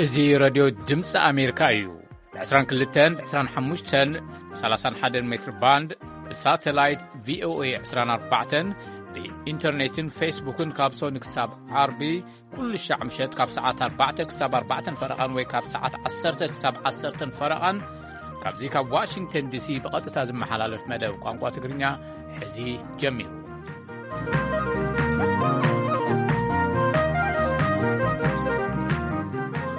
እዚ ረድዮ ድምፂ ኣሜሪካ እዩ። ብ22፣ ብ25፣ ብ31 ሜትር ባንድ፣ ብሳተላይት ቪኦኤ 24፣ ብኢንተርኔትን ፌስቡክን ካብ ሶኒ ክሳብ ዓርቢ ኩሉ ሻዕ ምሸት ካብ ሰዓት ኣርባዕተ ክሳብ ኣርባዕተን ፈረቓን ወይ ካብ ሰዓት ዓሰርተ ክሳብ ዓሰርተን ፈረቓን ካብዚ ካብ ዋሽንግተን ዲሲ ብቐጥታ ዝመሓላለፍ መደብ ቋንቋ ትግርኛ ሕዚ ጀሚሩ።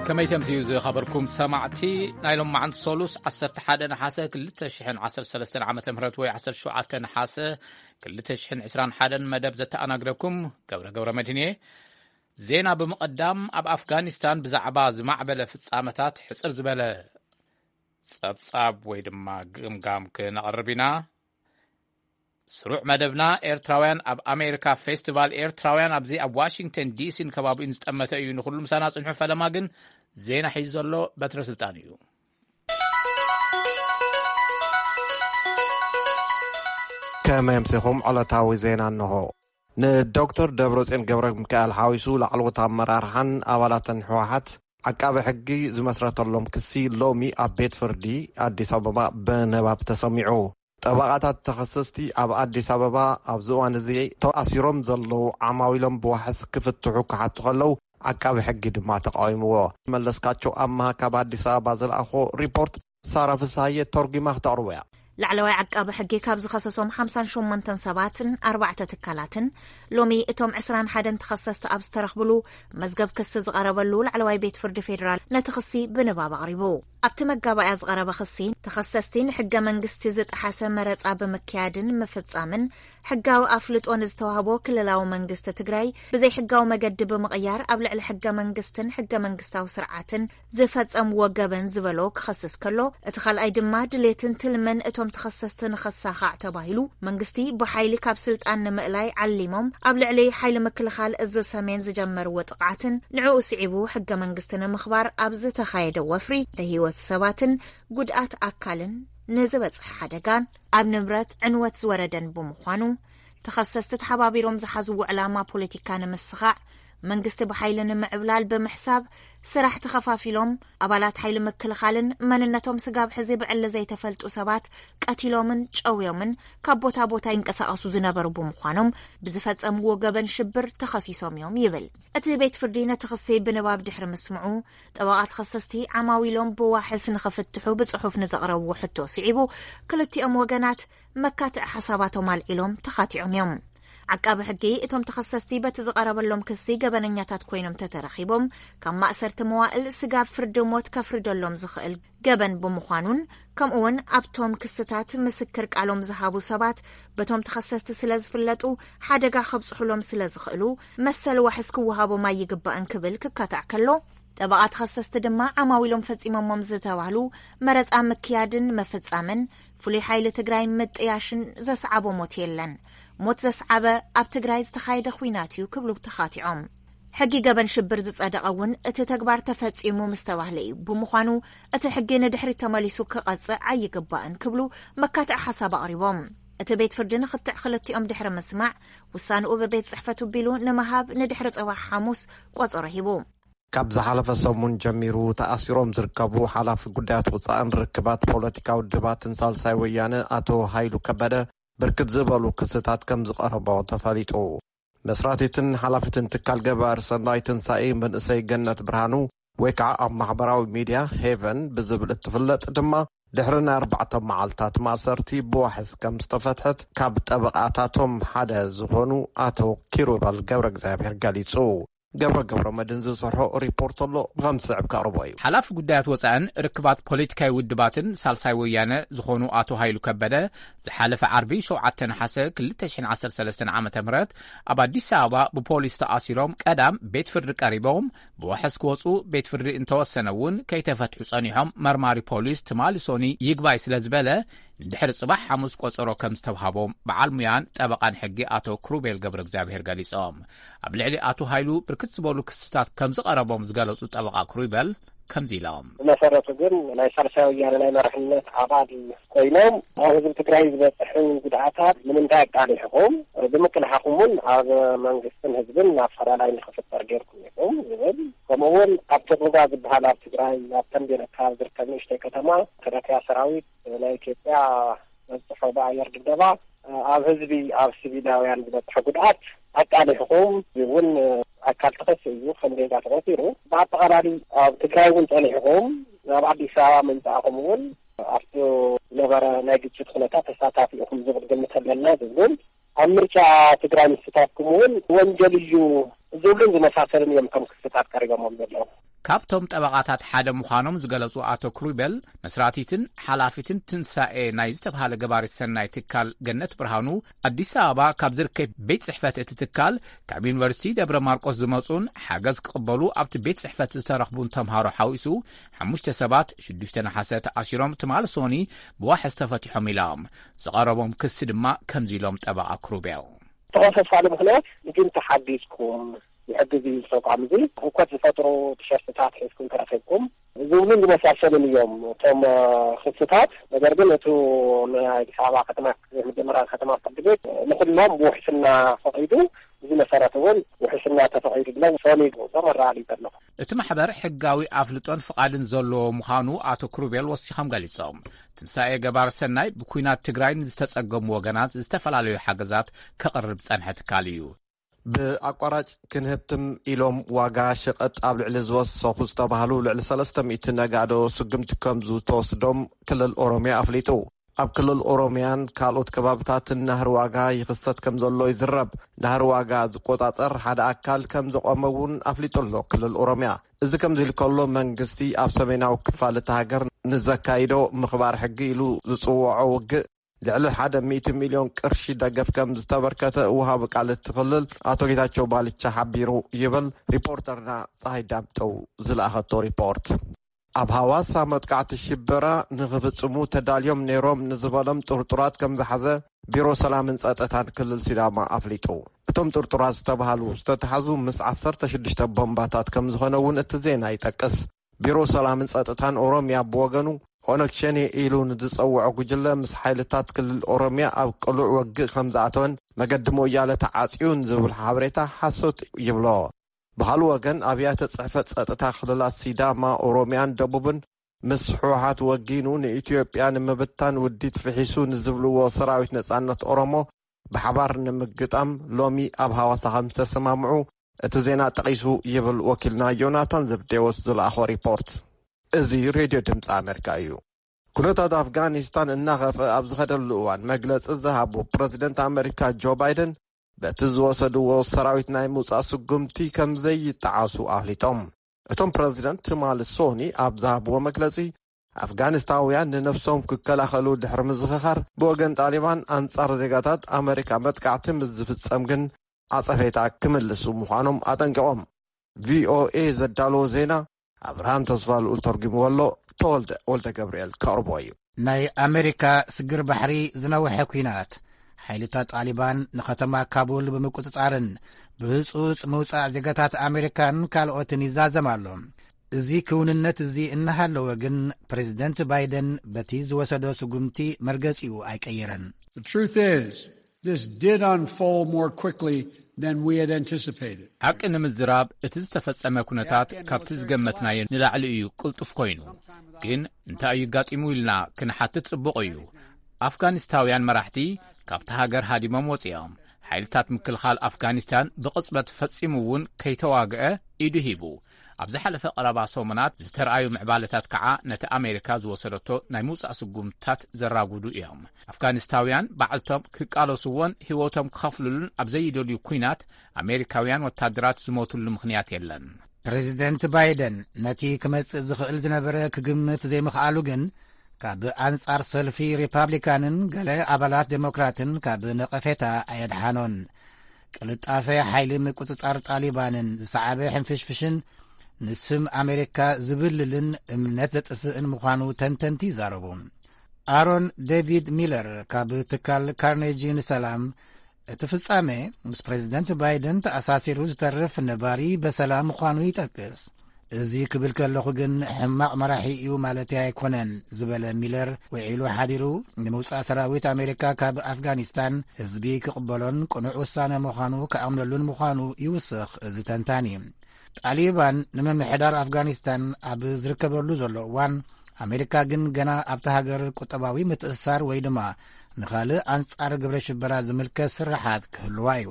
ከመይ ተምስዩ ዝኸበርኩም ሰማዕቲ፣ ናይ ሎማዓንቲ ሰሉስ ዓሰርተ ሓደ ነሓሰ ክልተ ሽሕን ዓሰርተ ሰለስተን ዓመተ ምህረት ወይ ዓሰርተ ሸውዓተ ነሓሰ ክልተ ሽሕን ዕስራን ሓደን መደብ ዘተኣናግደኩም ገብረ ገብረ መድህን እየ። ዜና ብምቕዳም፣ ኣብ ኣፍጋኒስታን ብዛዕባ ዝማዕበለ ፍጻመታት ሕጽር ዝበለ ጸብጻብ ወይ ድማ ግምጋም ክነቕርብ ኢና። ስሩዕ መደብና ኤርትራውያን ኣብ ኣሜሪካ ፌስቲቫል ኤርትራውያን ኣብዚ ኣብ ዋሽንግተን ዲሲን ከባቢኡን ዝጠመተ እዩ። ንኹሉ ምሳና ጽንሑ። ፈለማ ግን ዜና ሒዙ ዘሎ በትረ ስልጣን እዩ። ከመይ ኣምሲኹም? ዕለታዊ ዜና እንሆ። ንዶክተር ደብረጽዮን ገብረ ሚካኤል ሓዊሱ ላዕለዎት ኣመራርሓን ኣባላትን ህወሓት ዓቃቢ ሕጊ ዝመስረተሎም ክሲ ሎሚ ኣብ ቤት ፍርዲ ኣዲስ ኣበባ ብንባብ ተሰሚዑ። ጠበቓታት ተኸሰስቲ ኣብ ኣዲስ ኣበባ ኣብዚ እዋን እዚ ተኣሲሮም ዘለዉ ዓማዊሎም ብዋሕስ ክፍትሑ ክሓቱ ከለዉ ዓቃቢ ሕጊ ድማ ተቃዊምዎ። መለስካቸው ኣማሃ ካብ ኣዲስ ኣበባ ዝለኣኾ ሪፖርት ሳራ ፍስሃየ ተርጒማ ክተቕርቦ እያ። ላዕለዋይ ዓቃቢ ሕጊ ካብ ዝኸሰሶም ሓምሳን ሸሞንተን ሰባትን ኣርባዕተ ትካላትን ሎሚ እቶም ዕስራን ሓደን ተኸሰስቲ ኣብ ዝተረኽብሉ መዝገብ ክሲ ዝቐረበሉ ላዕለዋይ ቤት ፍርዲ ፌዴራል ነቲ ክሲ ብንባብ ኣቕሪቡ። ኣብቲ መጋባእያ ዝቐረበ ክሲ ተኸሰስቲ ንሕገ መንግስቲ ዝጠሓሰ መረጻ ብምክያድን ምፍጻምን ሕጋዊ ኣፍልጦ ንዝተዋህቦ ክልላዊ መንግስቲ ትግራይ ብዘይሕጋዊ መገዲ ብምቕያር ኣብ ልዕሊ ሕገ መንግስትን ሕገ መንግስታዊ ስርዓትን ዝፈጸምዎ ገበን ዝበሎ ክኸስስ ከሎ፣ እቲ ካልኣይ ድማ ድሌትን ትልምን እቶም ተኸሰስቲ ንኸሳኻዕ ተባሂሉ መንግስቲ ብሓይሊ ካብ ስልጣን ንምእላይ ዓሊሞም ኣብ ልዕሊ ሓይሊ ምክልኻል እዚ ሰሜን ዝጀመርዎ ጥቕዓትን ንዕኡ ስዒቡ ሕገ መንግስቲ ንምኽባር ኣብ ዝተኻየደ ወፍሪ ብህይወት ሰባትን ጉድኣት ኣካልን ንዝበጽሐ ሓደጋን ኣብ ንብረት ዕንወት ዝወረደን ብምዃኑ፣ ተኸሰስቲ ተሓባቢሮም ዝሓዝዎ ዕላማ ፖለቲካ ንምስኻዕ፣ መንግስቲ ብሓይሊ ንምዕብላል ብምሕሳብ፣ ስራሕ ተኸፋፊሎም፣ ኣባላት ሓይሊ ምክልኻልን መንነቶም ስጋብ ሕዚ ብዕሊ ዘይተፈልጡ ሰባት ቀቲሎምን ጨውዮምን ካብ ቦታ ቦታ ይንቀሳቐሱ ዝነበሩ ብምዃኖም፣ ብዝፈጸምዎ ገበን ሽብር ተኸሲሶም እዮም ይብል። እቲ ቤት ፍርዲ ነቲ ክሲ ብንባብ ድሕሪ ምስምዑ፣ ጠበቓ ተኸሰስቲ ዓማዊሎም ብዋሕስ ንኽፍትሑ ብጽሑፍ ንዘቕረብዎ ሕቶ ስዒቡ፣ ክልቲኦም ወገናት መካትዒ ሓሳባቶም ኣልዒሎም ተኻቲዖም እዮም። ዓቃቢ ሕጊ፣ እቶም ተኸሰስቲ በቲ ዝቐረበሎም ክሲ ገበነኛታት ኮይኖም ተተረኺቦም፣ ካብ ማእሰርቲ መዋእል ስጋብ ፍርዲ ሞት ከፍርደሎም ዝኽእል ገበን ብምዃኑን፣ ከምኡውን ኣብቶም ክስታት ምስክር ቃሎም ዝሃቡ ሰባት በቶም ተኸሰስቲ ስለ ዝፍለጡ፣ ሓደጋ ከብጽሑሎም ስለ ዝኽእሉ፣ መሰል ዋሕስ ክወሃቦም ኣይግባእን ክብል ክካታዕ ከሎ፣ ጠበቓ ተኸሰስቲ ድማ ዓማዊሎም ፈጺሞሞም ዝተባህሉ መረጻ ምክያድን ምፍጻምን ፍሉይ ሓይሊ ትግራይ ምጥያሽን ዘስዓቦ ሞት የለን። ሞት ዘስዓበ ኣብ ትግራይ ዝተኻየደ ኹናት እዩ ክብሉ ተኻቲዖም። ሕጊ ገበን ሽብር ዝጸደቐ እውን እቲ ተግባር ተፈጺሙ ምስ ተባህለ እዩ። ብምዃኑ እቲ ሕጊ ንድሕሪት ተመሊሱ ክቐጽዕ ኣይግባእን ክብሉ መካትዒ ሓሳብ ኣቕሪቦም። እቲ ቤት ፍርዲ ንኽትዕ ክልቲኦም ድሕሪ ምስማዕ ውሳንኡ ብቤት ጽሕፈቱ ቢሉ ንምሃብ ንድሕሪ ጽባሕ ሓሙስ ቆጸሮ ሂቡ። ካብ ዝሓለፈ ሰሙን ጀሚሩ ተኣሲሮም ዝርከቡ ሓላፊ ጉዳያት ወጻእን ርክባት ፖለቲካዊ ውድባትን ሳልሳይ ወያነ ኣቶ ሃይሉ ከበደ ብርክት ዝበሉ ክስታት ከም ዝቐረቦ ተፈሊጡ። መስራቲትን ሓላፊትን ትካል ገባር ሰናይ ትንሳኤ መንእሰይ ገነት ብርሃኑ ወይ ከዓ ኣብ ማሕበራዊ ሚድያ ሄቨን ብዝብል እትፍለጥ ድማ ድሕሪ ናይ ኣርባዕተ መዓልታት ማእሰርቲ ብዋሕስ ከም ዝተፈትሐት ካብ ጠበቓታቶም ሓደ ዝኾኑ ኣቶ ኪሩበል ገብረ እግዚኣብሔር ገሊጹ። ገብረ ገብረ መድን ዝሰርሖ ሪፖርት ኣሎ፣ ብኸም ዝስዕብ ከቕርቦ እዩ። ሓላፊ ጉዳያት ወፃእን ርክባት ፖለቲካዊ ውድባትን ሳልሳይ ወያነ ዝኾኑ ኣቶ ሃይሉ ከበደ ዝሓለፈ ዓርቢ ሸውዓተ ነሓሰ ክልተ ሽሕን ዓሰርተ ሰለስተን ዓመተ ምህረት ኣብ ኣዲስ ኣበባ ብፖሊስ ተኣሲሮም ቀዳም ቤት ፍርዲ ቀሪቦም ብዋሕስ ክወፁ ቤት ፍርዲ እንተወሰነ እውን ከይተፈትሑ ጸኒሖም መርማሪ ፖሊስ ትማሊ ሶኒ ይግባይ ስለ ዝበለ ንድሕሪ ጽባሕ ሓሙስ ቆጸሮ ከም ዝተውሃቦም በዓል ሙያን ጠበቓን ሕጊ ኣቶ ክሩቤል ገብረ እግዚኣብሔር ገሊጾም። ኣብ ልዕሊ ኣቶ ሃይሉ ብርክት ዝበሉ ክስታት ከም ዝቐረቦም ዝገለጹ ጠበቓ ክሩቤል፣ ከምዚ ኢሎም። ብመሰረቱ ግን ናይ ሳልሳይ ወያነ ናይ መራሕነት ኣባል ኮይኖም ኣብ ህዝቢ ትግራይ ዝበፅሑ ጉድኣታት ንምንታይ ኣቃሊሕኹም? ብምቅላሕኹም እውን ኣብ መንግስትን ህዝብን ኣፈላላይ ንክፍጠር ጌርኩም ኢኹም ዝብል፣ ከምኡ እውን ኣብ ቶጎጋ ዝበሃል ኣብ ትግራይ ኣብ ተንቤን ኣካባቢ ዝርከብ ንእሽተይ ከተማ ተረትያ ሰራዊት ናይ ኢትዮጵያ መብፅሖ ብኣየር ድብደባ ኣብ ህዝቢ ኣብ ሲቪላውያን ዝበፅሐ ጉድኣት ኣቃሊሕኹም እውን ኣካል ተኸሲ እዩ ከም ዜጋ ተቆፂሩ። ብኣጠቓላሊ ኣብ ትግራይ እውን ፀኒሕኹም ናብ ኣዲስ ኣበባ ምምፃእኹም እውን ኣብቲ ዝነበረ ናይ ግጭት ኩነታት ተሳታፊ ኢኹም ዝብል ግምት ኣለና ዝብሉን ኣብ ምርጫ ትግራይ ምስታፍኩም እውን ወንጀል እዩ ዝብሉን ዝመሳሰልን እዮም ከም ክስታት ቀሪቦሞም ዘለዉ። ካብቶም ጠበቓታት ሓደ ምዃኖም ዝገለጹ ኣቶ ክሩቤል፣ መስራቲትን ሓላፊትን ትንሳኤ ናይ ዝተባሃለ ገባሪት ሰናይ ትካል ገነት ብርሃኑ፣ ኣዲስ ኣበባ ካብ ዝርከብ ቤት ጽሕፈት እቲ ትካል፣ ካብ ዩኒቨርሲቲ ደብረ ማርቆስ ዝመጹን ሓገዝ ክቕበሉ ኣብቲ ቤት ጽሕፈት ዝተረኽቡን ተምሃሮ ሓዊሱ ሓሙሽተ ሰባት ሽዱሽተ ነሓሰ ተኣሲሮም ትማሊ ሶኒ ብዋሕስ ተፈቲሖም ኢሎም። ዝቐረቦም ክሲ ድማ ከምዚ ኢሎም ጠበቓ ክሩቤል። ተኸሰሳሉ ምኽንያት ንግን ተሓጊዝኩም፣ ንሕግዝ እዩ ተቋም እዚ፣ ህውከት ዝፈጥሩ ቲሸርትታት ሒዝኩም ተረኺብኩም ዝብሉን ዝመሳሰሉን እዮም እቶም ክስታት። ነገር ግን እቱ ናይ ኣዲስ ኣበባ ከተማ መጀመርያ ከተማ ፍርዲ ቤት ንኩሎም ብውሕስና ፈቒዱ፣ እዚ መሰረት እውን ውሕስና ተፈቒዱ ብለው ሶኒ ዞም ኣረጋጊጸ ኣለኹ። እቲ ማሕበር ሕጋዊ ኣፍልጦን ፍቓድን ዘለዎ ምዃኑ ኣቶ ክሩቤል ወሲኾም ገሊጾም። ትንሳኤ ገባር ሰናይ ብኲናት ትግራይ ንዝተጸገሙ ወገናት ዝተፈላለዩ ሓገዛት ከቕርብ ዝጸንሐ ትካል እዩ። ብኣቋራጭ ክንህብትም ኢሎም ዋጋ ሸቐጥ ኣብ ልዕሊ ዝወሰኹ ዝተባህሉ ልዕሊ ሰለስተ ሚእቲ ነጋዶ ስጉምቲ ከም ዝተወስዶም ክልል ኦሮሚያ ኣፍሊጡ። ኣብ ክልል ኦሮሚያን ካልኦት ከባብታትን ናህሪ ዋጋ ይኽሰት ከም ዘሎ ይዝረብ። ናህሪ ዋጋ ዝቆጻጸር ሓደ ኣካል ከም ዘቆመ እውን ኣፍሊጡ ኣሎ ክልል ኦሮሚያ። እዚ ከምዚ ኢሉ ከሎ መንግስቲ ኣብ ሰሜናዊ ክፋል እታ ሃገር ንዘካይዶ ምኽባር ሕጊ ኢሉ ዝጽውዖ ውግእ ልዕሊ ሓደ ሚእቲ ሚልዮን ቅርሺ ደገፍ ከም ዝተበርከተ ውሃቢ ቃል እቲ ክልል ኣቶ ጌታቸው ባልቻ ሓቢሩ ይብል ሪፖርተርና ፀሃይ ዳምጠው ዝለኣኸቶ ሪፖርት። ኣብ ሃዋሳ መጥቃዕቲ ሽበራ ንኽፍጽሙ ተዳልዮም ነይሮም ንዝበሎም ጥርጡራት ከም ዝሓዘ ቢሮ ሰላምን ጸጥታን ክልል ሲዳማ ኣፍሊጡ። እቶም ጥርጡራት ዝተባሃሉ ዝተታሕዙ ምስ ዓሰርተ ሽዱሽተ ቦምባታት ከም ዝኾነ እውን እቲ ዜና ይጠቅስ። ቢሮ ሰላምን ጸጥታን ኦሮሚያ ብወገኑ ኦነግ ሸኔ ኢሉ ንዝጸውዖ ጉጅለ ምስ ሓይልታት ክልል ኦሮሚያ ኣብ ቅሉዕ ወግእ ከም ዝኣተወን መገዲ ሞያለ ተዓጽዩን ዝብል ሓበሬታ ሓሶት ይብሎ። ብኻልእ ወገን ኣብያተ ጽሕፈት ጸጥታ ክልላት ሲዳማ፣ ኦሮሚያን ደቡብን ምስ ህወሓት ወጊኑ ንኢትዮጵያ ንምብታን ውዲት ፍሒሱ ንዝብልዎ ሰራዊት ነጻነት ኦሮሞ ብሓባር ንምግጣም ሎሚ ኣብ ሃዋሳ ከም ዝተሰማምዑ እቲ ዜና ጠቒሱ ይብል ወኪልና ዮናታን ዘብዴዎስ ዝለኣኾ ሪፖርት። እዚ ሬድዮ ድምፂ ኣሜሪካ እዩ። ኩነታት ኣፍጋኒስታን እናኸፍአ ኣብ ዝኸደሉ እዋን መግለፂ ዝሃቡ ፕረዚደንት ኣሜሪካ ጆ ባይደን በቲ ዝወሰድዎ ሰራዊት ናይ ምውፃእ ስጉምቲ ከም ዘይጠዓሱ ኣፍሊጦም። እቶም ፕረዚደንት ትማሊ ሶኒ ኣብ ዝሃብዎ መግለፂ ኣፍጋኒስታውያን ንነብሶም ክከላኸሉ ድሕሪ ምዝኽኻር ብወገን ጣሊባን ኣንጻር ዜጋታት ኣመሪካ መጥቃዕቲ ምስ ዝፍጸም ግን ኣጸፌታ ክምልሱ ምዃኖም ኣጠንቂቖም። ቪኦኤ ዘዳለዎ ዜና ኣብርሃም ተስፋ ልኡል ተርጉምዎ ኣሎ። ተወልደ ወልደ ገብርኤል ከቕርቦ እዩ። ናይ ኣመሪካ ስግር ባሕሪ ዝነውሐ ኲናት ሓይልታት ጣሊባን ንኸተማ ካቡል ብምቁጽጻርን ብህጹጽ ምውጻእ ዜጋታት ኣመሪካን ካልኦትን ይዛዘም ኣሎ። እዚ ክውንነት እዚ እናሃለወ ግን ፕሬዚደንት ባይደን በቲ ዝወሰዶ ስጉምቲ መርገጺኡ ኣይቀየረን። The truth is, this did unfold more quickly than we had anticipated. ሓቂ ንምዝራብ እቲ ዝተፈጸመ ኩነታት ካብቲ ዝገመትናዮ ንላዕሊ እዩ ቅልጡፍ ኮይኑ። ግን እንታይ እዩ ኣጋጢሙ ኢልና ክንሓትት ጽቡቕ እዩ። ኣፍጋኒስታውያን መራሕቲ ካብቲ ሃገር ሃዲሞም ወጺኦም። ሓይልታት ምክልኻል ኣፍጋኒስታን ብቕጽበት ፈጺሙ እውን ከይተዋግአ ኢዱ ሂቡ። ኣብ ዝሓለፈ ቀረባ ሰሙናት ዝተረኣዩ ምዕባለታት ከዓ ነቲ ኣሜሪካ ዝወሰደቶ ናይ ምውጻእ ስጉምትታት ዘራጉዱ እዮም። ኣፍጋኒስታውያን ባዕልቶም ክቃለስዎን ህይወቶም ክኸፍልሉን ኣብ ዘይደልዩ ኲናት ኣሜሪካውያን ወታደራት ዝሞትሉ ምኽንያት የለን። ፕሬዚደንት ባይደን ነቲ ክመጽእ ዝኽእል ዝነበረ ክግምት ዘይምኽኣሉ ግን ካብ ኣንጻር ሰልፊ ሪፓብሊካንን ገለ ኣባላት ዴሞክራትን ካብ ነቐፌታ ኣየድሓኖን። ቅልጣፈ ሓይሊ ምቁጽጻር ጣሊባንን ዝሰዓበ ሕንፍሽፍሽን ንስም ኣሜሪካ ዝብልልን እምነት ዘጥፍእን ምዃኑ ተንተንቲ ይዛረቡ። ኣሮን ዴቪድ ሚለር ካብ ትካል ካርኔጂ ንሰላም፣ እቲ ፍጻሜ ምስ ፕሬዚደንት ባይደን ተኣሳሲሩ ዝተርፍ ነባሪ በሰላ ምዃኑ ይጠቅስ። እዚ ክብል ከለኹ ግን ሕማቕ መራሒ እዩ ማለተይ ኣይኮነን ዝበለ ሚለር፣ ውዒሉ ሓዲሩ ንምውጻእ ሰራዊት ኣሜሪካ ካብ ኣፍጋኒስታን ህዝቢ ክቕበሎን ቅኑዕ ውሳነ ምዃኑ ክኣምነሉን ምዃኑ ይውስኽ እዚ ተንታኒ። ጣሊባን ንምምሕዳር ኣፍጋኒስታን ኣብ ዝርከበሉ ዘሎ እዋን፣ ኣሜሪካ ግን ገና ኣብቲ ሃገር ቁጠባዊ ምትእስሳር ወይ ድማ ንኻልእ ኣንጻር ግብረ ሽበራ ዝምልከት ስርሓት ክህልዋ እዩ።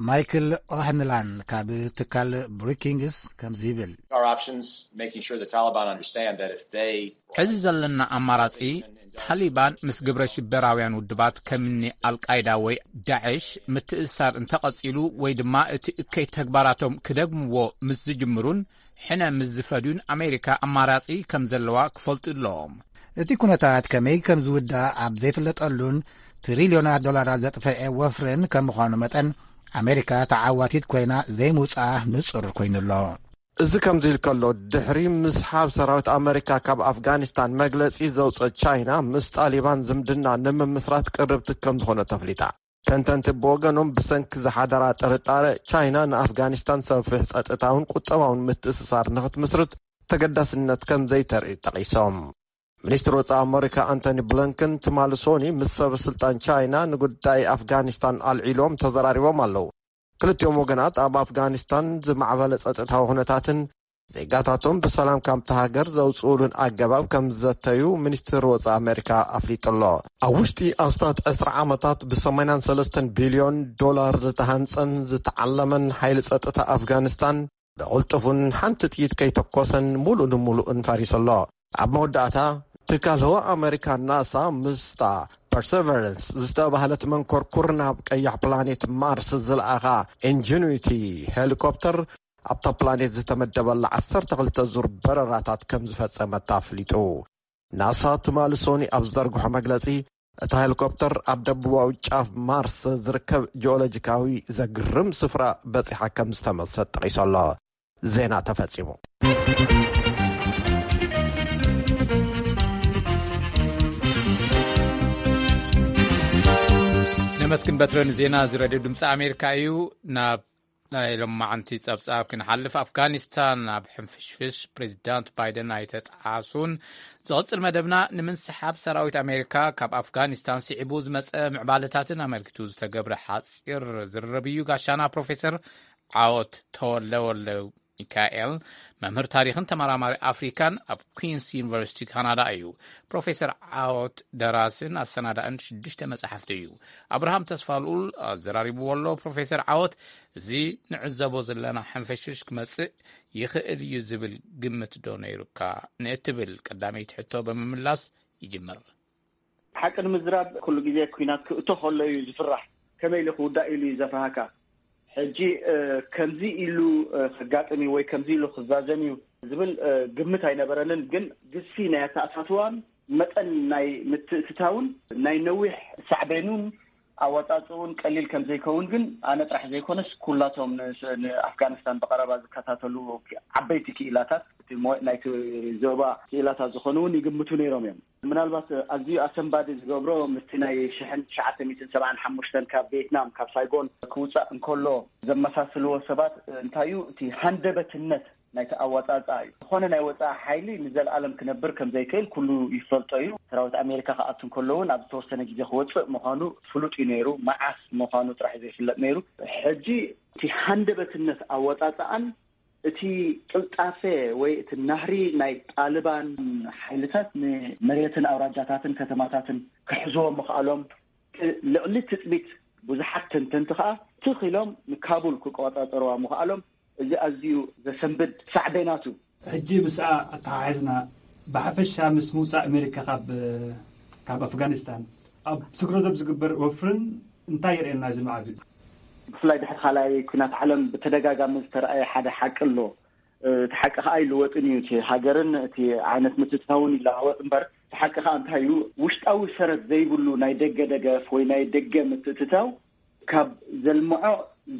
ማይክል ኦህንላን ካብ ትካል ብሩኪንግስ ከምዚ ይብል። Our options, making sure the Taliban understand that if they ሕዚ ዘለና ኣማራጺ፣ ታሊባን ምስ ግብረ ሽበራውያን ውድባት ከምኒ ኣልቃይዳ ወይ ዳዕሽ ምትእሳር እንተቐጺሉ ወይ ድማ እቲ እከይ ተግባራቶም ክደግምዎ ምስ ዝጅምሩን ሕነ ምስ ዝፈድዩን ኣሜሪካ ኣማራጺ ከም ዘለዋ ክፈልጡ ኣለዎም። እቲ ኩነታት ከመይ ከም ዝውዳእ ኣብ ዘይፍለጠሉን ትሪልዮናት ዶላራት ዘጥፈዐ ወፍርን ከም ምዃኑ መጠን፣ ኣሜሪካ ተዓዋቲት ኮይና ዘይምውጻኣ ንጹር ኮይኑ ኣሎ። እዚ ከምዚ ኢሉ ከሎ፣ ድሕሪ ምስሓብ ሰራዊት ኣመሪካ ካብ ኣፍጋኒስታን መግለጺ ዘውጸት ቻይና፣ ምስ ጣሊባን ዝምድና ንምምስራት ቅርብቲ ከም ዝኾነ ተፍሊጣ። ተንተንቲ ብወገኖም፣ ብሰንኪ ዝሓደራ ጥርጣረ፣ ቻይና ንኣፍጋኒስታን ሰፊሕ ጸጥታውን ቁጠባውን ምትእስሳር ንኽትምስርት ተገዳስነት ከም ዘይተርኢ ጠቒሶም። ሚኒስትር ወጻኢ ኣመሪካ ኣንቶኒ ብሊንከን ትማሊ ሶኒ ምስ ሰበ ስልጣን ቻይና ንጉዳይ ኣፍጋኒስታን ኣልዒሎም ተዘራሪቦም ኣለዉ። ክልቲኦም ወገናት ኣብ ኣፍጋኒስታን ዝማዕበለ ጸጥታዊ ኩነታትን ዜጋታቶም ብሰላም ካብቲ ሃገር ዘውጽኡሉን ኣገባብ ከም ዝዘተዩ ሚኒስትር ወጻኢ ኣመሪካ ኣፍሊጡ ኣሎ። ኣብ ውሽጢ ኣስታት ዕስራ ዓመታት ብ83 ቢልዮን ዶላር ዝተሃንጸን ዝተዓለመን ሓይሊ ጸጥታ ኣፍጋኒስታን ብቕልጡፍን ሓንቲ ጥይት ከይተኮሰን ሙሉእ ንሙሉእን ፈሪሱ ኣሎ። ኣብ መወዳእታ፣ ትካል ህዋ ኣመሪካ ናሳ ምስታ ፐርሰቨረንስ ዝተባህለት መንኮርኩር ናብ ቀያሕ ፕላኔት ማርስ ዝለኣኻ ኢንጂኑዊቲ ሄሊኮፕተር ኣብታ ፕላኔት ዝተመደበላ ዓሰርተ ክልተ ዙር በረራታት ከም ዝፈጸመት ኣፍሊጡ። ናሳ ትማሊ ሶኒ ኣብ ዝዘርግሖ መግለጺ፣ እታ ሄሊኮፕተር ኣብ ደቡባዊ ጫፍ ማርስ ዝርከብ ጂኦሎጂካዊ ዘግርም ስፍራ በጺሓ ከም ዝተመልሰት ጠቒሱ ኣሎ። ዜና ተፈጺሙ። ነመስግን በትረ ንዜና እዚ ሬድዮ ድምፂ ኣሜሪካ እዩ። ናብ ናይ ሎማዓንቲ ጸብጻብ ክንሓልፍ፣ ኣፍጋኒስታን ኣብ ሕንፍሽፍሽ ፕሬዚዳንት ባይደን ኣይተጠዓሱን። ዝቕጽል መደብና፣ ንምንስሓብ ሰራዊት ኣሜሪካ ካብ ኣፍጋኒስታን ስዒቡ ዝመጸ ምዕባለታትን ኣመልኪቱ ዝተገብረ ሓጺር ዝርርብ እዩ። ጋሻና ፕሮፌሰር ዓወት ተወልደወልደ ሚካኤል፣ መምህር ታሪኽን ተመራማሪ ኣፍሪካን ኣብ ኩንስ ዩኒቨርሲቲ ካናዳ እዩ። ፕሮፌሰር ዓወት ደራስን ኣሰናዳእን ሽዱሽተ መጻሕፍቲ እዩ። ኣብርሃም ተስፋልኡል ኣዘራሪብዎ ኣሎ። ፕሮፌሰር ዓወት፣ እዚ ንዕዘቦ ዘለና ሕንፍሽፍሽ ክመጽእ ይኽእል እዩ ዝብል ግምት ዶ ነይሩካ? ንእትብል ቀዳመይቲ ሕቶ ብምምላስ ይጅምር። ሓቂ ንምዝራብ፣ ኩሉ ግዜ ኲናት ክእቶ ከሎ እዩ ዝፍራሕ። ከመይ ኢሉ ክውዳእ ኢሉ እዩ ዘፍርሃካ። ሕጂ፣ እ፣ ከምዚ ኢሉ፣ እ፣ ከጋጥም እዩ ወይ ከምዚ ኢሉ ክዛዘም እዩ ዝብል፣ እ፣ ግምት ኣይነበረንን። ግን ግዝፊ ናይ ኣተኣታትዋን መጠን ናይ ምትእትታውን ናይ ነዊሕ ሳዕቤኑን ኣወጻጽኡን ቀሊል ከም ዘይከውን ግን ኣነ ጥራሕ ዘይኮነስ ኩላቶም ን-፣ ንኣፍጋኒስታን ብቐረባ ዝከታተሉ ዓበይቲ ክኢላታት እቲ ሞ-፣ ናይቲ ዞባ ክኢላታት ዝኾኑ እውን ይግምቱ ነይሮም እዮም። ምናልባት ኣዝዩ ኣሰንባዲ ዝገብሮ ምስቲ ናይ ሽሕን ትሽዓተ ሚእትን ሰብዓን ሓሙሽተን ካብ ቪየትናም ካብ ሳይጎን ክውጻእ እንከሎ ዘመሳስልዎ ሰባት እንታይ እዩ እቲ ሃንደበትነት ናይቲ ኣወጻጽኣ እዩ። ዝኾነ ናይ ወጻኢ ሓይሊ ንዘለኣለም ክነብር ከም ዘይክእል ኩሉ ይፈልጦ እዩ። ሰራዊት ኣሜሪካ ክኣቱ እንከሎ እውን ኣብ ዝተወሰነ ግዜ ክወጽእ ምዃኑ ፍሉጥ እዩ ነይሩ። መዓስ ምዃኑ ጥራሕ ዘይፍለጥ ነይሩ። ሕጂ እቲ ሃንደበትነት ኣወጻጽኣን እቲ ቅልጣፈ ወይ እቲ ናህሪ ናይ ጣልባን ሓይልታት ንመሬትን ኣውራጃታትን ከተማታትን ክሕዝዎ ምኽኣሎም፣ ልዕሊ ትጽቢት ብዙሓት ተንተንቲ ከኣ ትኽ ኢሎም ንካቡል ክቆጻጸርዋ ምኽኣሎም፣ እዚ ኣዝዩ ዘሰንብድ ሳዕቤናቱ። ሕጂ ምስኣ ኣተሓሒዝና፣ ብሓፈሻ ምስ ምውጻእ ኣሜሪካ ካብ፣ ካብ ኣፍጋኒስታን፣ ኣብ ስግረ ዶብ ዝግበር ወፍርን እንታይ የርእየና እዚ ማዕቢል? ብፍላይ ድሕሪ ካልኣይ ኲናት ዓለም ብተደጋጋሚ ዝተረኣየ ሓደ ሓቂ ኣሎ። እቲ ሓቂ ከኣ ኣይልወጥን እዩ። እቲ ሃገርን እቲ ዓይነት ምትእትታውን ይለዋወጥ እምበር፣ እቲ ሓቂ ከኣ እንታይ እዩ? ውሽጣዊ ሰረት ዘይብሉ ናይ ደገ ደገፍ ወይ ናይ ደገ ምትእትታው ካብ ዘልምዖ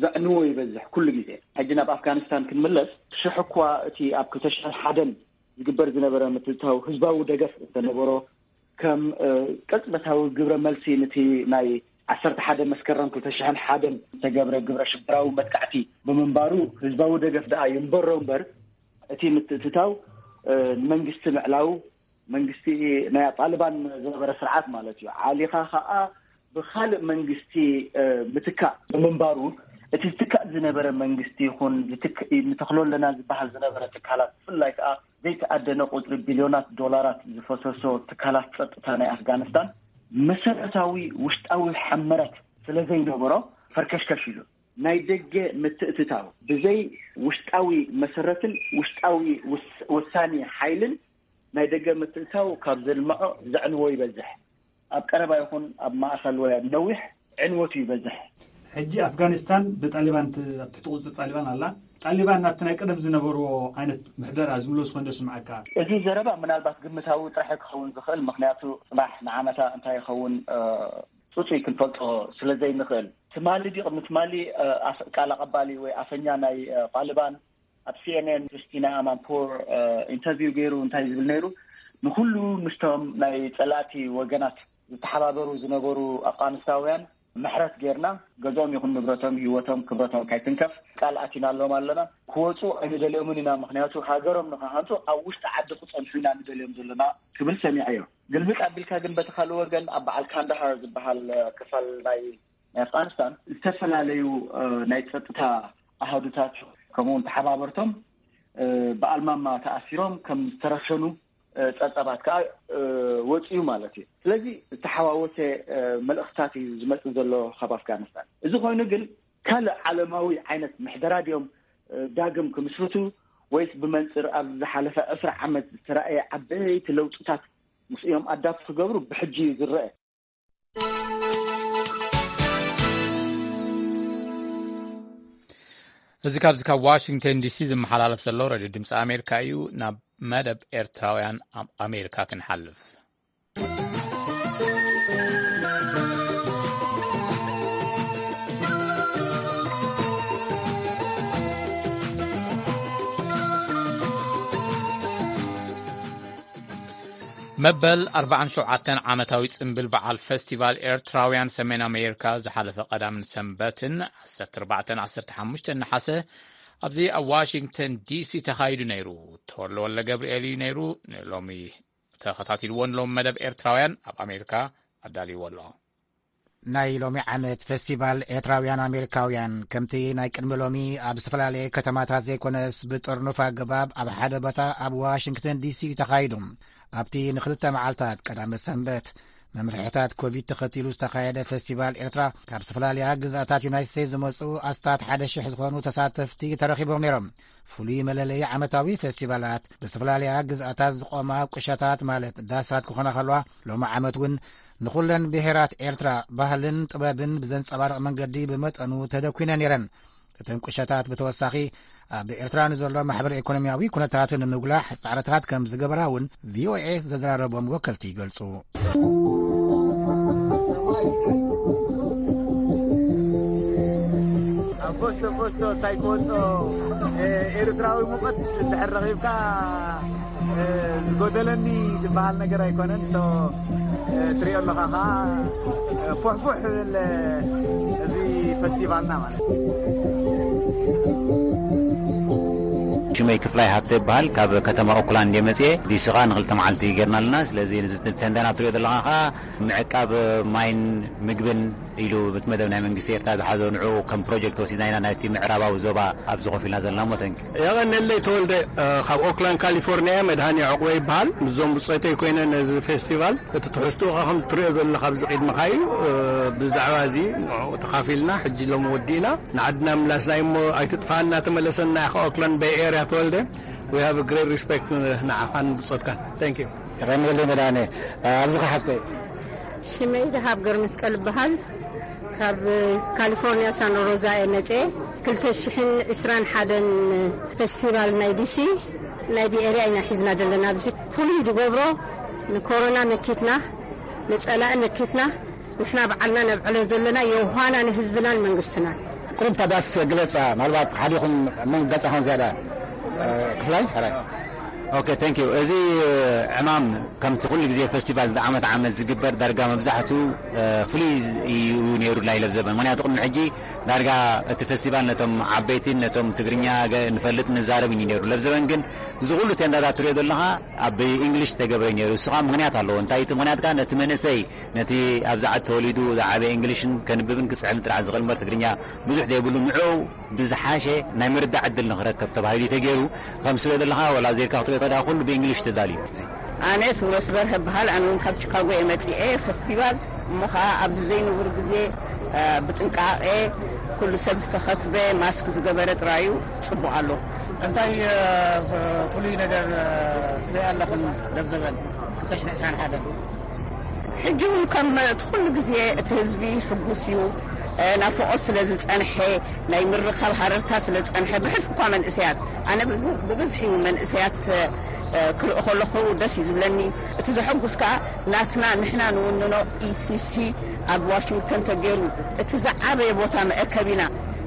ዘዕንዎ ይበዝሕ ኩሉ ግዜ። ሕጂ ናብ ኣፍጋኒስታን ክንምለስ፣ ሽሕ እኳ እቲ ኣብ ክልተ ሽሕን ሓደን ዝግበር ዝነበረ ምትእትታው ህዝባዊ ደገፍ እንተነበሮ፣ ከም፣ እ፣ ቅጽበታዊ ግብረ መልሲ ነቲ ናይ ዓሰርተ ሓደ መስከረም ክልተ ሽሕን ሓደን ዝተገብረ ግብረ ሽበራዊ መጥቃዕቲ ብምንባሩ፣ ህዝባዊ ደገፍ ደኣ ይንበሮ እምበር፣ እቲ ምትእትታው ንመንግስቲ ምዕላው፣ መንግስቲ ናይ ጣልባን ዝነበረ ስርዓት ማለት እዩ። ዓሊኻ ከዓ ብኻልእ መንግስቲ ምትካእ ብምንባሩ፣ እቲ ዝትካእ ዝነበረ መንግስቲ ይኹን ንተኽሎ ኣለና ዝበሃል ዝነበረ ትካላት፣ ብፍላይ ከዓ ዘይተኣደነ ቁፅሪ ቢልዮናት ዶላራት ዝፈሰሶ ትካላት ፀጥታ ናይ ኣፍጋኒስታን መሰረታዊ ውሽጣዊ ሕመረት ስለ ዘይነበሮ ፈርከሽከሽ ኢሉ። ናይ ደገ ምትእትታው ብዘይ ውሽጣዊ መሰረትን ውሽጣዊ ውሳኔ ሓይልን ናይ ደገ ምትእትታው ካብ ዘልምዖ ዘዕንዎ ይበዝሕ። ኣብ ቀረባ ይኹን ኣብ ማእኸል ወይ ኣብ ነዊሕ ዕንወቱ ይበዝሕ። ሕጂ ኣፍጋኒስታን ብጣሊባን ት- ኣብ ትሕቲ ቁፅር ጣሊባን ኣላ። ጣሊባን ናብቲ ናይ ቀደም ዝነበርዎ ዓይነት ምሕደራ ዝምለስ ኮይኑ ስምዓካ? እዚ ዘረባ ምናልባት ግምታዊ ጥራሕ ክኸውን ዝኽእል፣ ምክንያቱ ፅባሕ ንዓመታ እንታይ ይኸውን ፅፁይ ክንፈልጦ ስለ ዘይንኽእል። ትማሊ ድዩ ቅድሚ ትማሊ ቃል ኣቐባሊ ወይ ኣፈኛ ናይ ጣሊባን ኣብ ሲኤንኤን ክርስቲና ኣማንፖር ኢንተርቪው ገይሩ እንታይ ዝብል ነይሩ? ንኩሉ ምስቶም ናይ ፀላእቲ ወገናት ዝተሓባበሩ ዝነበሩ ኣፍጋኒስታውያን ምሕረት ጌርና፣ ገዝኦም ይኹን ንብረቶም፣ ህይወቶም፣ ክብረቶም ካይትንከፍ ቃል ኣቲናሎም ኣለና። ክወፁ ኣይንደልዮምን ኢና፣ ምክንያቱ ሃገሮም ንክሃንፁ ኣብ ውሽጢ ዓዲ ክፀንሑ ኢና ንደልዮም ዘለና ክብል ሰሚዐዮ። ግልብጥ ኣቢልካ ግን በቲ ካልእ ወገን ኣብ በዓል ካንዳሃር ዝበሃል ክፋል ናይ ናይ ኣፍጋኒስታን ዝተፈላለዩ ናይ ፀጥታ ኣሃዱታት ከምኡውን ተሓባበርቶም ብኣልማማ ተኣሲሮም ከም ዝተረሸኑ ፀብፀባት ከዓ ወፅዩ ማለት እዩ። ስለዚ ዝተሓዋወሰ መልእኽትታት እዩ ዝመፅእ ዘሎ ካብ ኣፍጋኒስታን። እዚ ኮይኑ ግን ካልእ ዓለማዊ ዓይነት ምሕደራ ድዮም ዳግም ክምስርቱ ወይስ ብመንፅር ኣብ ዝሓለፈ ዕስራ ዓመት ዝተረኣየ ዓበይቲ ለውጥታት ምስ እዮም ኣዳፕት ክገብሩ ብሕጂ እዩ ዝረአ። እዚ ካብዚ ካብ ዋሽንግተን ዲሲ ዝመሓላለፍ ዘሎ ሬድዮ ድምፂ ኣሜሪካ እዩ። ናብ መደብ ኤርትራውያን ኣብ ኣሜሪካ ክንሓልፍ። መበል ኣርባዓን ሸውዓተን ዓመታዊ ጽምብል በዓል ፈስቲቫል ኤርትራውያን ሰሜን ኣሜሪካ ዝሓለፈ ቀዳምን ሰንበትን ዓሰርተ ኣርባዕተን ዓሰርተ ሓሙሽተን ነሓሰ ኣብዚ ኣብ ዋሽንግተን ዲሲ ተኻይዱ ነይሩ። ተወልደ ወልደ ገብርኤል እዩ ነይሩ። ንሎሚ ተኸታቲልዎ ንሎም መደብ ኤርትራውያን ኣብ ኣሜሪካ ኣዳልይዎ ኣሎ። ናይ ሎሚ ዓመት ፈስቲቫል ኤርትራውያን ኣሜሪካውያን ከምቲ ናይ ቅድሚ ሎሚ ኣብ ዝተፈላለየ ከተማታት ዘይኮነስ ብጥርኑፍ ኣገባብ ኣብ ሓደ ቦታ ኣብ ዋሽንግተን ዲሲ እዩ ተኻይዱ። ኣብቲ ንክልተ መዓልታት ቀዳመ ሰንበት መምርሕታት ኮቪድ ተኸቲሉ ዝተኻየደ ፈስቲቫል ኤርትራ ካብ ዝተፈላለያ ግዝኣታት ዩናይት ስቴትስ ዝመፁ ኣስታት ሓደ ሽሕ ዝኾኑ ተሳተፍቲ ተረኺቦም ነይሮም። ፍሉይ መለለዪ ዓመታዊ ፈስቲቫላት ብዝተፈላለያ ግዝኣታት ዝቖማ ቁሸታት ማለት ዳሳት ክኾና ከለዋ ሎሚ ዓመት እውን ንኹለን ብሄራት ኤርትራ ባህልን ጥበብን ብዘንጸባርቕ መንገዲ ብመጠኑ ተደኲነን ነይረን። እተን ቁሸታት ብተወሳኺ ኣብ ኤርትራ ንዘሎ ማሕበረ ኢኮኖሚያዊ ኩነታት ንምጉላሕ ጻዕርታት ከም ዝገበራ እውን ቪኦኤ ዘዘራረቦም ወከልቲ ይገልጹ። ኣቦስቶ ኣቦስቶ እንታይ ክወጾ ኤርትራዊ ሙቐት እንድሕር ረኺብካ ዝጎደለኒ ዝበሃል ነገር ኣይኮነን። ትሪኦ ኣለኻ ከዓ ፉሕፉሕ ዝብል እዚ ፈስቲቫልና ማለት እዩ። ሽመይ ክፍላይ ሃብተ ይበሃል። ካብ ከተማ ኦክላንድ እየ መፅየ። ዲሲ ከዓ ንክልተ መዓልቲ ጌርና ኣለና። ስለዚ ንዚ ተንደና ትሪኦ ዘለኻ ከዓ ምዕቃብ ማይን ምግብን ኢሉ እቲ መደብ ናይ መንግስቲ ኤርትራ ዝሓዞ ንዕኡ ከም ፕሮጀክት ወሲድና ኢና ናይቲ ምዕራባዊ ዞባ ኣብዚ ኮፍ ኢልና ዘለና እሞ። ተንኪ። የቐነለይ ተወልደ ካብ ኦክላንድ ካሊፎርኒያ። መድሃኒ ዕቑበ ይበሃል። ምስዞም ብጾተይ ኮይነ ነዚ ፌስቲቫል እቲ ትሕዝትኡ ከም ትሪኦ ዘለኻ ኣብዚ ቅድመኻ እዩ። ብዛዕባ እዚ ንዕኡ ተኻፊልና ሕጂ ሎም ወዲእና ንዓድና ምላስና እሞ ኣይትጥፋና ተመለሰና ኢኻ። ኦክላንድ ቤይ ኤርያ ተወልደ። We have a great respect ንዓኻን ብጾትካን። Thank you። የቐንየለይ መድሃኒ። ኣብዚ ኸሓፍተይ። ሽመይ ደሃብ ገርመስቀል እበሃል። ካብ ካሊፎርኒያ ሳኖ ሮዛ እየ መፅየ። ክልተ ሽሕን ዕስራን ሓደን ፌስቲቫል ናይ ዲሲ ናይ ቢኤርያ ኢና ሒዝና ዘለና። ኣብዚ ፍሉይ ዝገብሮ ንኮሮና መኪትና ንፀላኢ መኪትና ንሕና በዓልና ነብዕሎ ዘለና የውሃና ንህዝብናን መንግስትናን። ቁሩብ እታ ዳስ ግለፃ፣ ምናልባት ሓዲኹም መን ገፃ ኾን ዝያዳ ክፍላይ ሕራይ። ኦኬ፣ thank you። እዚ ዕማም ከምቲ ኩሉ ግዜ ፈስቲቫል ዓመት ዓመት ዝግበር ዳርጋ መብዛሕቱ ፍሉይ እዩ ነይሩ ናይ ለብዘበን። ምክንያቱ ቅድሚ ሕጂ ዳርጋ እቲ ፈስቲቫል ነቶም ዓበይቲን ነቶም ትግርኛ ገ- ንፈልጥ ንዛረብ እዩ ነይሩ። ለብዘበን ግን እዚ ኩሉ ቴንዳታት ትሪኦ ዘለኻ ኣብ እንግሊሽ ተገብረ ነይሩ። እሱ ከዓ ምክንያት ኣለዎ። እንታይ እቲ ምክንያት ከዓ ነቲ መንእሰይ ነቲ ኣብዚ ዓዲ ተወሊዱ ዝዓበየ እንግሊሽን ከንብብን ክፅሕፍን ጥራሕ ዝኽእል እምበር ትግርኛ ብዙሕ ዘይብሉ ንዑ ብዝሓሸ ናይ ምርዳእ ዕድል ንኽረከብ ተባሂሉ እዩ ተገይሩ። ከም ስለ ዘለኻ ወላ ዜርካ ክትሪኦ ተዳ ኩሉ ብእንግሊሽ ተዳልዩ። ኣነ ስውረስ በርሀ በሃል። ኣነ እውን ካብ ቺካጎ እየ መፂኤ። ፈስቲቫል እሞ ከዓ ኣብዚ ዘይንቡር ግዜ ብጥንቃቄ ኩሉ ሰብ ዝተኸትበ ማስክ ዝገበረ ጥራዩ ፅቡቅ ኣሎ። እንታይ ፍሉይ ነገር ትሪኢ ኣለኽን? ለብዘበን ክልተ ሽሕን ዕስራን ሓደን ሕጂ እውን ከም እቲ ኩሉ ግዜ እቲ ህዝቢ ሕጉስ እዩ። ናፍቆት ስለ ዝፀንሐ፣ ናይ ምርኻብ ሃረርታ ስለ ዝፀንሐ ብሕልፊ እኳ መንእሰያት፣ ኣነ ብብዝሒ መንእሰያት ክርኢ ከለኹ ደስ እዩ ዝብለኒ። እቲ ዘሐጉስ ከዓ ናትና ንሕና ንውንኖ ኢሲሲ ኣብ ዋሽንግተን ተገይሩ እቲ ዝዓበየ ቦታ መእከቢና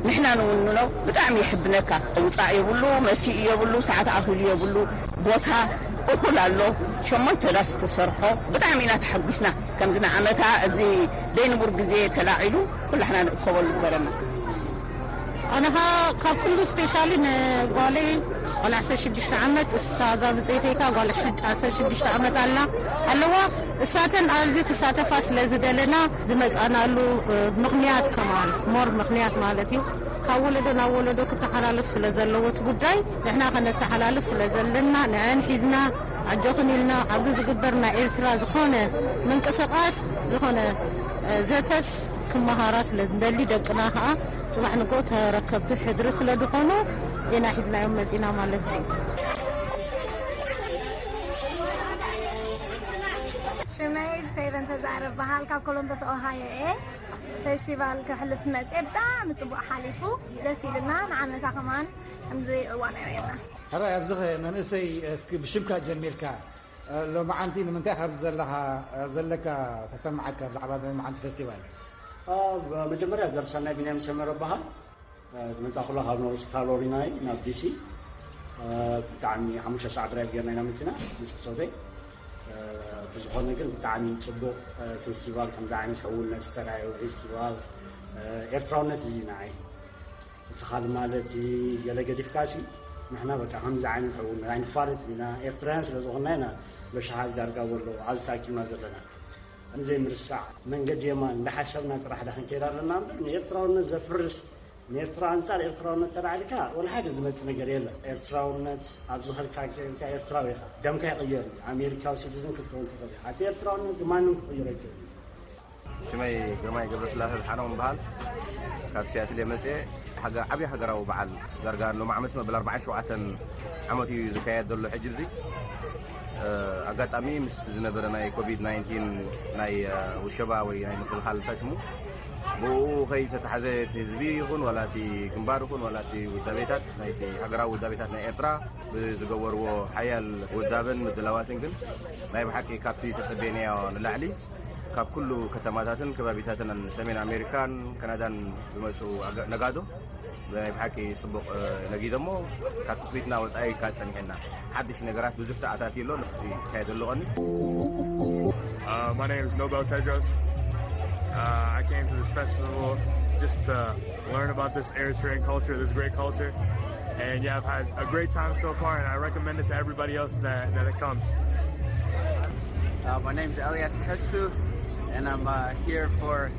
ንሕና ንውንኖ ብጣዕሚ የሕብነካ። ውፃእ የብሉ፣ መሲኡ የብሉ፣ ሰዓት ኣኺሉ የብሉ፣ ቦታ እኹል ኣሎ። ሸሞንተ ዳስ ተሰርሖ። ብጣዕሚ ኢና ተሐጒስና። ከምዚ ንዓመታ እዚ ደይንቡር ግዜ ተላዒሉ ኩላሕና ንእከበሉ ግበረና። ኣነ ኸኣ ካብ ኩሉ ስፔሻሊ ንጓለይ ጓል ዓሰርተ ሽዱሽተ ዓመት፣ እሳ እዛ ብጸይተይ ከኣ ጓል ዓሰርተ ሽዱሽተ ዓመት ኣላ ኣለዋ። እሳተን ኣብዚ ክሳተፋ ስለ ዝደለና ዝመጻናሉ ምኽንያት ከማን ሞር ምኽንያት ማለት እዩ። ካብ ወለዶ ናብ ወለዶ ክተሓላለፍ ስለ ዘለዎ እቲ ጉዳይ ንሕና ከነተሓላልፍ ስለ ዘለና ንዐን ሒዝና ኣጆኽን ኢልና ኣብዚ ዝግበር ናይ ኤርትራ ዝኾነ ምንቅስቃስ ዝኾነ ዘተስ ክመሃራ ስለ ንደሊ ደቅና ከዓ ጽባሕ ንግሆ ተረከብቲ ሕድሪ ስለ ዝኾኑ ኢና ሒዝናዮም መጺና ማለት እዩ። ሽመይ ፌቨን ተዛረብ በሃል ካብ ኮሎምበስ ኦሃዮ እየ። ፌስቲቫል ከሕልፍ መጽየ ብጣዕሚ ጽቡቅ ሓሊፉ ደስ ኢልና ንዓመታ ከማን ከምዚ እዋን ኣርእየና። ሕራይ ኣብዚ ኸ መንእሰይ እስኪ ብሽምካ ጀሚርካ ሎማዓንቲ ንምንታይ ካብዚ ዘለኻ ዘለካ ተሰምዓካ ብዛዕባ ሎማዓንቲ ፌስቲቫል? መጀመርያ ዘርሰናይ ቢንያም ሰመረ በሃል። ዝመጻኹላ ካብ ኖርዝ ካሮሊና እዩ ናብ ዲሲ። ብጣዕሚ ሓሙሽተ ሰዓት ድራይቭ ጌርና ኢና መጺና ምስ ብጾተይ። ብዝኾነ ግን ብጣዕሚ ጽቡቕ ፌስቲቫል፣ ከምዚ ዓይነት ሕውነት ዝተራእየ ፌስቲቫል ኤርትራውነት እዚ ንዓይ። እቲ ካልእ ማለት ገለ ገዲፍካሲ ንሕና በቃ ከምዚ ዓይነት ሕውነት ኣይንፋለጥን ኢና፣ ኤርትራውያን ስለ ዝኾንና ኢና በሽሓት ዳርጋ ወሎ ኣብዚ ተኣኪብና ዘለና። ንዘይምርሳዕ መንገዲ የማን እንዳሓሰብና ጥራሕ ዳ ክንከይድ ኣለና እምበር ንኤርትራውነት ዘፍርስ ንኤርትራ ኣንጻር ኤርትራውነት ተላዒልካ ወላ ሓደ ዝመጽእ ነገር የለን። ኤርትራውነት ኣብ ዝኸድካ ኬድካ ኤርትራዊ ኢኻ። ደምካ ይቕየር እዩ። ኣሜሪካዊ ሲቲዝን ክትከውን ትኽእል ኢኻ። እቲ ኤርትራውነት ግን ማንም ክቕይሮ ኣይክእልን እዩ። ሽመይ ግርማይ ገብረስላሴ ዝሓነው እምበሃል ካብ ሲያትል እየ መጽኤ። ሓገ-፣ ዓብዪ ሃገራዊ በዓል ዳርጋ ሎም ዓመት መበል ኣርባዓን ሸውዓተን ዓመት እዩ ዝካየድ ዘሎ ሕጂ። እዚ ኣጋጣሚ ምስ ዝነበረ ናይ ኮቪድ ናይንቲን ናይ ውሸባ ወይ ናይ ምክልኻል እንታይ ሽሙ ብኡ ከይተታሕዘ እቲ ህዝቢ ይኹን ዋላ እቲ ግንባር ይኹን ዋላ እቲ ውዳቤታት ናይቲ ሃገራዊ ውዳቤታት ናይ ኤርትራ ብዝገበርዎ ሓያል ውዳበን ምድላዋትን ግን ናይ ብሓቂ ካብቲ ተጸበየናዮ ንላዕሊ ካብ ኩሉ ከተማታትን ከባቢታትን ሰሜን ኣሜሪካን ካናዳን ዝመጹ ኣጋ-፣ ነጋዶ ናይ ብሓቂ ጽቡቕ ነጊዶ እሞ ካብ ትጽቢትና ወጻኢ ኢልካ ጸኒሕና ሓድሽ ነገራት ብዙሕ ተኣታትዩ ኣሎ። ንክትካየድ ኣለዎ። Uh, my name is Nobel Tedros. Uh, I came to this festival just to learn about this Eritrean culture, this great culture. And yeah, I've had a great time so far, and I recommend it to everybody else that, that it comes. Uh, my name is Elias Testu, and I'm uh, here for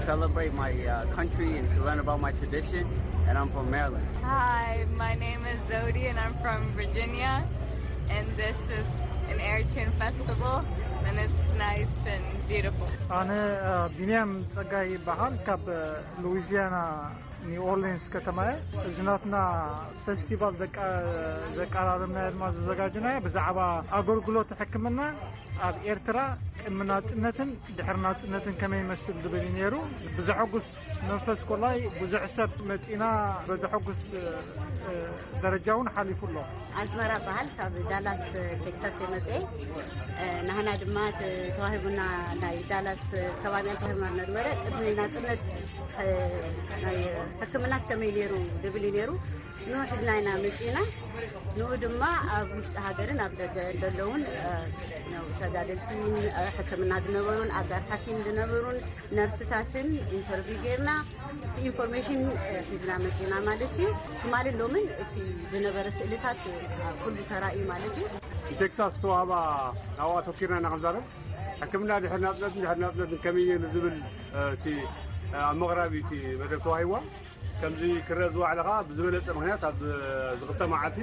celebrate my uh, country and to learn about my tradition. And I'm from Maryland. Hi, my name is Zodi, and I'm from Virginia. And this is an Eritrean festival, and it's nice and beautiful. ኣነ ቢንያም ጸጋይ ይበሃል ካብ ሉዊዚያና ኒው ኦርሊንስ ከተማ እየ። እዚ ናትና ፈስቲቫል ዘቃ-፣ ዘቀራረብናዮ ድማ ዘዘጋጀናዮ ብዛዕባ ኣገልግሎት ሕክምና ኣብ ኤርትራ ቅድሚ ናጽነትን ድሕሪ ናጽነትን ከመይ ይመስል ዝብል እዩ ነይሩ። ብዘሐጉስ መንፈስ ኮላይ ብዙሕ ሰብ መጺና በዘሐጉስ ደረጃ እውን ሓሊፉ ኣሎ። ኣስመራ በሃል ካብ ዳላስ ቴክሳስ የመጽኤ። ናህና ድማ ተዋሂቡና ናይ ዳላስ ከባቢያን ተዋሂቡና ነበረ ቅድሚ ናጽነት ናይ ሕክምናስ ከመይ ነይሩ ድብል እዩ ነይሩ። ንኡ ሒዝና ኢና መፂና። ንኡ ድማ ኣብ ውሽጢ ሃገርን ኣብ ደገ ዘለውን ተጋደልቲ፣ ሕክምና ዝነበሩን ኣጋር ሓኪም ዝነበሩን ነርስታትን ኢንተርቪው ጌርና፣ እቲ ኢንፎርሜሽን ሒዝና መፂና ማለት እዩ። ትማልን ሎምን እቲ ዝነበረ ስእልታት ኩሉ ተራእዩ ማለት እዩ። ንቴክሳስ ዝተዋህባ ናብኣ ኣተኪርና ኢና ክንዛረብ። ሕክምና ድሕሪ ናፅነትን ድሕሪ ናፅነትን ከመይ እዩ ንዝብል እቲ ኣብ መቕራቢ እቲ መደብ ተዋሂዋ። ከምዚ ክረአ ዝዋዕለ ከዓ ብዝበለፀ ምክንያት ኣብ ዝክልተ መዓልቲ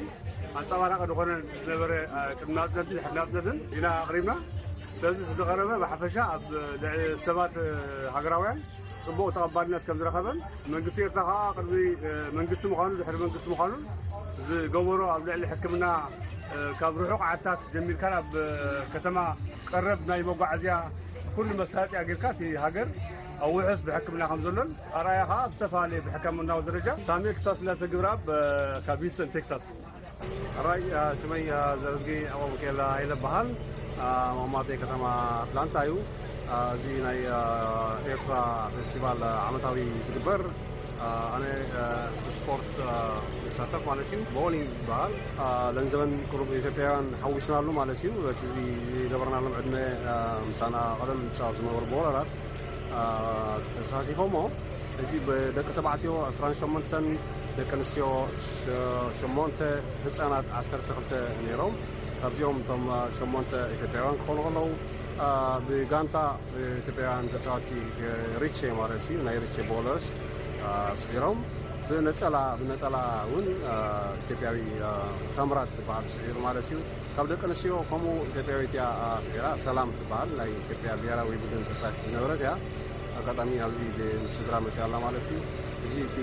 ኣንፀባራቂ ዝኾነ ዝነበረ ቅድሚ ናፅነትን ድሕሪ ናፅነትን ኢና ኣቕሪብና። ስለዚ እቲ ዝቐረበ ብሓፈሻ ኣብ ልዕሊ ሰባት ሃገራውያን ፅቡቕ ተቐባልነት ከም ዝረኸበን መንግስቲ ኤርትራ ከዓ ቅድሚ መንግስቲ ምዃኑ ድሕሪ መንግስቲ ምዃኑን ዝገበሮ ኣብ ልዕሊ ሕክምና ካብ ርሑቕ ዓድታት ጀሚርካ ናብ ከተማ ቀረብ ናይ መጓዓዝያ ኩሉ መሳለጥያ ጌርካ እቲ ሃገር ኣብ ውሑስ ብሕክምና ከም ዘሎን ኣርኣያ ከዓ ኣብ ዝተፈላለየ ብሕክምናዊ ደረጃ ሳሚ ክሳብ ስላሴ ግብረኣብ ካብ ሂውስተን ቴክሳስ። ሕራይ ሽመይ ዘረዝጊ ኣቦ ሚካኤል ኣይለ በሃል። መቐመጢ ከተማ ኣትላንታ እዩ። እዚ ናይ ኤርትራ ፌስቲቫል ዓመታዊ ዝግበር፣ ኣነ ብስፖርት ዝሳተፍ ማለት እዩ። ቦሊንግ ይበሃል። ለንዘበን ቅሩብ ኢትዮጵያውያን ሓዊስናሉ ማለት እዩ። በቲ ዝገበርናሎም ዕድመ ምሳና ቀደም ዝፃወቱ ዝነበሩ ቦለራት ተሳቲፎሞ። ሕጂ ብደቂ ተባዕትዮ ዕስራን ሸሞንተን፣ ደቂ ኣንስትዮ ሸሞንተ፣ ህፃናት ዓሰርተ ክልተ ነይሮም። ካብዚኦም እቶም ሸሞንተ ኢትዮጵያውያን ክኾኑ ከለዉ፣ ብጋንታ ኢትዮጵያውያን ተፃዋቲ ሪቼ ማለት እዩ፣ ናይ ሪቼ ቦለርስ ስዒሮም። ብነፀላ ብነፀላ እውን ኢትዮጵያዊ ተምራት ዝበሃል ስዒሩ ማለት እዩ። ካብ ደቂ ኣንስትዮ ከምኡ ኢትዮጵያዊት እያ ስዒራ፣ ሰላም ትበሃል፣ ናይ ኢትዮጵያ ብሄራዊ ቡድን ተፃዋቲት ዝነበረት እያ። ኣጋጣሚ ኣብዚ ምስ ስድራ መፅያ ኣላ ማለት እዩ። እዚ እቲ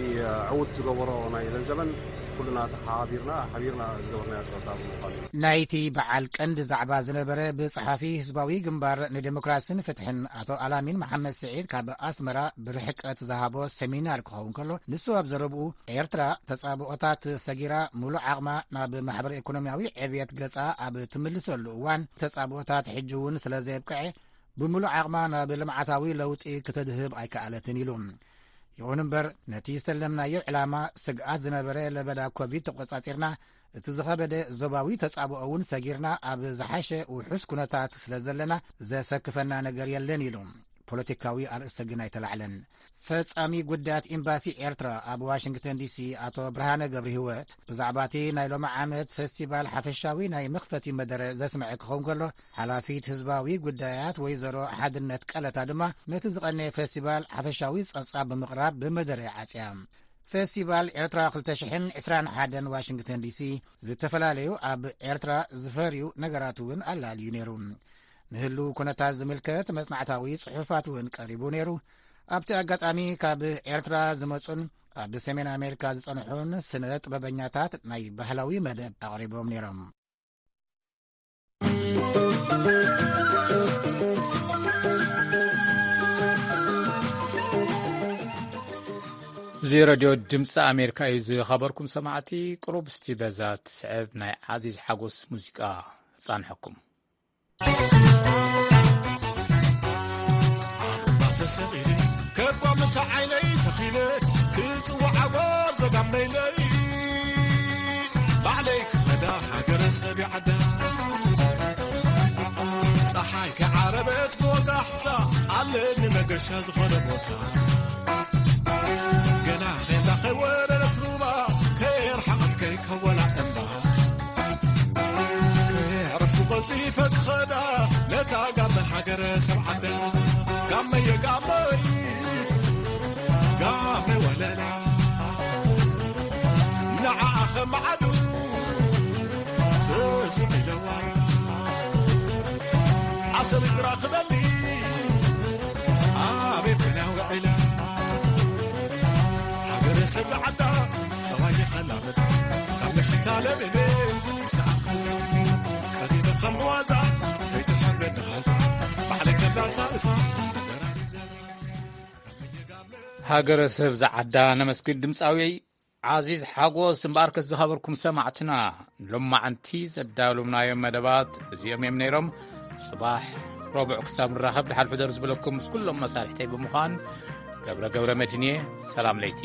ዕውት ዝገበሮ ናይ ለንዘበን ኩልና ተሓባቢርና ሓቢርና ዝገበርናዮ ፀወታ ብምዃኑ እዩ። ናይቲ በዓል ቀንዲ ዛዕባ ዝነበረ ብጸሓፊ ህዝባዊ ግንባር ንዴሞክራስን ፍትሕን ኣቶ ኣላሚን መሓመድ ስዒድ ካብ ኣስመራ ብርሕቀት ዝሃቦ ሰሚናር ክኸውን ከሎ፣ ንሱ ኣብ ዘረብኡ ኤርትራ ተጻብኦታት ሰጊራ ምሉእ ዓቕማ ናብ ማሕበረ ኢኮኖሚያዊ ዕብየት ገጻ ኣብ ትምልሰሉ እዋን ተጻብኦታት ሕጂ እውን ስለ ዘየብቅዐ ብምሉእ ዓቕማ ናብ ልምዓታዊ ለውጢ ክትድህብ ኣይከኣለትን ኢሉ። ይኹን እምበር ነቲ ዝተለምናዮ ዕላማ ስግኣት ዝነበረ ለበዳ ኮቪድ ተቆጻጺርና፣ እቲ ዝኸበደ ዞባዊ ተጻብኦ እውን ሰጊርና ኣብ ዝሓሸ ውሑስ ኩነታት ስለ ዘለና ዘሰክፈና ነገር የለን ኢሉ። ፖለቲካዊ ኣርእስቲ ግን ኣይተላዕለን። ፈጻሚ ጉዳያት ኤምባሲ ኤርትራ ኣብ ዋሽንግተን ዲሲ ኣቶ ብርሃነ ገብረ ህይወት ብዛዕባ እቲ ናይ ሎሚ ዓመት ፌስቲቫል ሓፈሻዊ ናይ መኽፈቲ መደረ ዘስምዐ ክኸውን ከሎ፣ ሓላፊት ህዝባዊ ጉዳያት ወይዘሮ ሓድነት ቀለታ ድማ ነቲ ዝቐነየ ፌስቲቫል ሓፈሻዊ ጸብጻብ ብምቕራብ ብመደረ ዓጽያ። ፌስቲቫል ኤርትራ ክልተ ሽሕን ዕስራን ሓደን ዋሽንግተን ዲሲ ዝተፈላለዩ ኣብ ኤርትራ ዝፈርዩ ነገራት እውን ኣላልዩ ነይሩ። ንህልው ኩነታት ዝምልከት መጽናዕታዊ ጽሑፋት እውን ቀሪቡ ነይሩ። ኣብቲ ኣጋጣሚ ካብ ኤርትራ ዝመጹን ኣብ ሰሜን ኣሜሪካ ዝጸንሑን ስነ ጥበበኛታት ናይ ባህላዊ መደብ ኣቕሪቦም ነይሮም። እዚ ረድዮ ድምፂ ኣሜሪካ እዩ። ዝኸበርኩም ሰማዕቲ፣ ቅሩብ እስቲ በዛ ትስዕብ ናይ ዓዚዝ ሓጎስ ሙዚቃ ፃንሐኩም። ኣንባ ተሰቒለ ከርቋምቲ ዓይነይ ተኺለ ክጽዋዕ ዓወር ዘጋመይለይ ባዕለይ ክኸዳ ሃገረ ሰብ ይዓዳ ጸሓይ ከዓረበት ጎዳሕታ ኣለኒ መገሻ ዝኾነ ቦታ ገና ኼላ ከይወረደት ሩባ ከየርሓቐት ከይከወላ እምባ ከየዕረፍኩ ቀልጢፈ ክኸዳ ነታ ጋመ ሃገረ ሰብ ዓዳ ጋመየ ጋመይ ጋመ ወለላ ንዓኣ ኸማዓዱ ትስቕ ኢለዋ ዓሰል እግራ ክበሊ ኣበይ ኮይና ውዒላ ሃገረ ሰብ ዝዓዳ ጠባይ ይኸላመድ ካብ መሽታ ለሚነ ይስኣኸዛ ቀዲመ ከም ዋዛ ከይትሓርገኒ ኻዛ ባዕለይ ከላሳእሳ ሃገረ ሰብ ዝዓዳ ነመስግን ድምፃዊ ዓዚዝ ሓጎስ እምበኣርከስ ዝኸበርኩም ሰማዕትና ሎማዓንቲ ዘዳለውናዮም መደባት እዚኦም እዮም ነይሮም። ጽባሕ ረቡዕ ክሳብ ንራኸብ ድሓን ሕደሩ ዝበለኩም ምስ ኩሎም መሳርሕተይ ብምዃን ገብረ ገብረ መድህንየ ሰላም ለይቲ።